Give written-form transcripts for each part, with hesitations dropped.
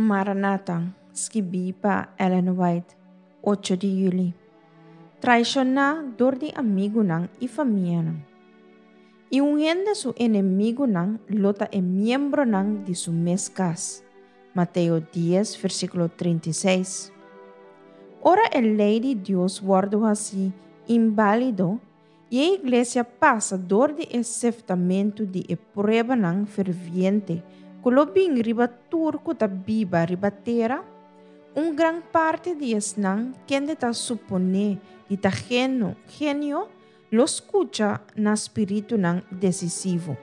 Maranata, skibí pa Ellen White, ocho di yüli. Traishoná dor di amigunan i famianan. I un hende su enemigunan lo ta e miembronan di su mes kas. Mateo dies, versíkulo 36. Ora e lei di Dios wòrdu hasí inbálido i e iglesia pasa dor di e seftamentu di e pruebanan ferviente ku lo bin riba tur ku ta biba riba tera, un gran parti di esnan kende ta suponé di ta geno, genio, lo skucha na spiritunan desisivo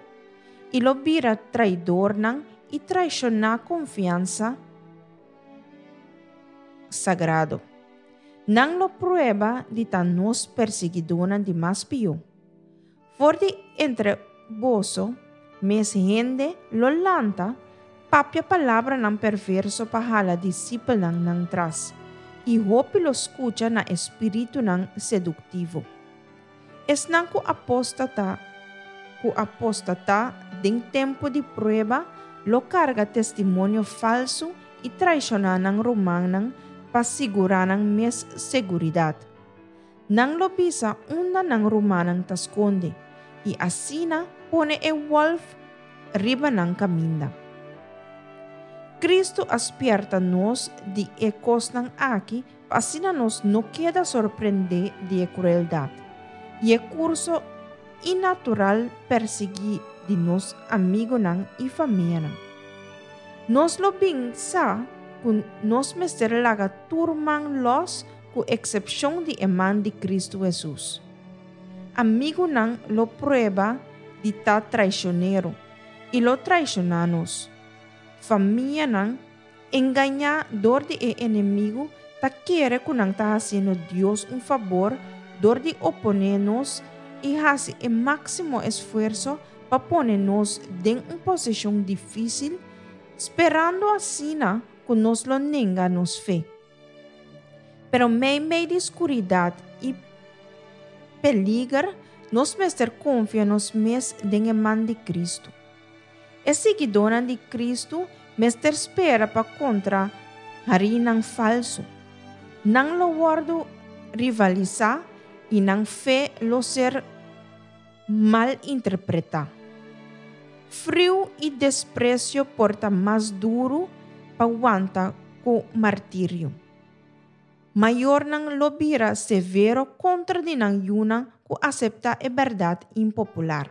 i lo bira traidornan i traishoná konfiansa sagrado. Nan lo prueba di ta nos persiguidónan di mas pió. For di entre boso mes hende lo lanta papia palabranan perverso pa hala disipelnan nan tras, i hopi lo skucha na e spiritunan seduktivo. Esnan ku apóstata ku apóstata den tempu di prueba lo karga testimonio falsu i traishoná nan rumannan pa sigurá nan mes seguridat. Nan lo bisa unda nan rumannan ta skonde i asina pone e wòlf riba nan kaminda. Kristu a spièrta nos di e kosnan aki pa asina nos no keda sorprendé di e krueldat i e kurso inatural persiguí di nos amigunan i famianan. Nos lo bin sa ku nos mester laga tur man lòs ku eksepshon di e man di Kristu Hesus. Amigunan lo prueba di ta traishonero i lo traishoná nos. Famianan engañá dor di e enemigu ta kere ku nan ta hasiendo Dios un fabor dor di oponé nos i hasi e máksimo esfuerso pa pone nos den un posishon difísil, sperando asina ku nos lo nenga nos fe. Pero meimei di skuridat i peliger, nos mester konfia nos mes den e man di Kristu. E siguidónan di Kristu mester spera pa kontra harinan falsu. Nan lo wòrdu rivalisá i nan fe lo ser malinterpretá. Friu i despresio por ta mas duru pa wanta ku martirio. Mayornan lo bira severo kontra di nan yunan ku aseptá e bèrdat impopular.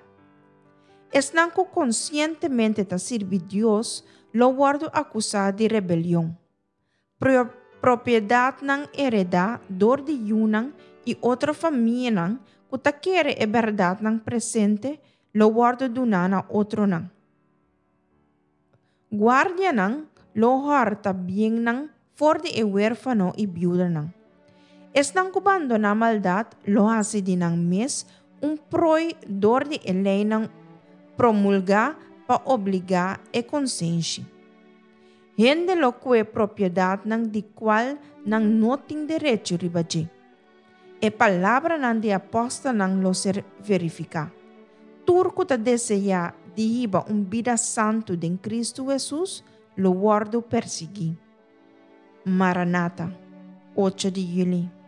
Esnan ku konsientemente ta sirbi Dios lo wòrdu akusá di rebelion. Propiedatnan heredá dor di yunan i otro famianan ku ta kere e bèrdatnan presente lo wòrdu duná na otronan. Guardianan lo hòrta biennan for di e wérfano i biudanan. Esnan ku bandoná maldat lo hasi di nan mes un prooi dor di e leinan promulgá pa obligá e konsenshi. Hende lo kue propiedatnan di kual nan no tin derecho riba dje. E palabranan di apòstelnan lo ser verifiká. Tur ku ta deseá di hiba un bida santu den Kristu Hesus lo wòrdu persiguí. Maranata, ocho di yüli.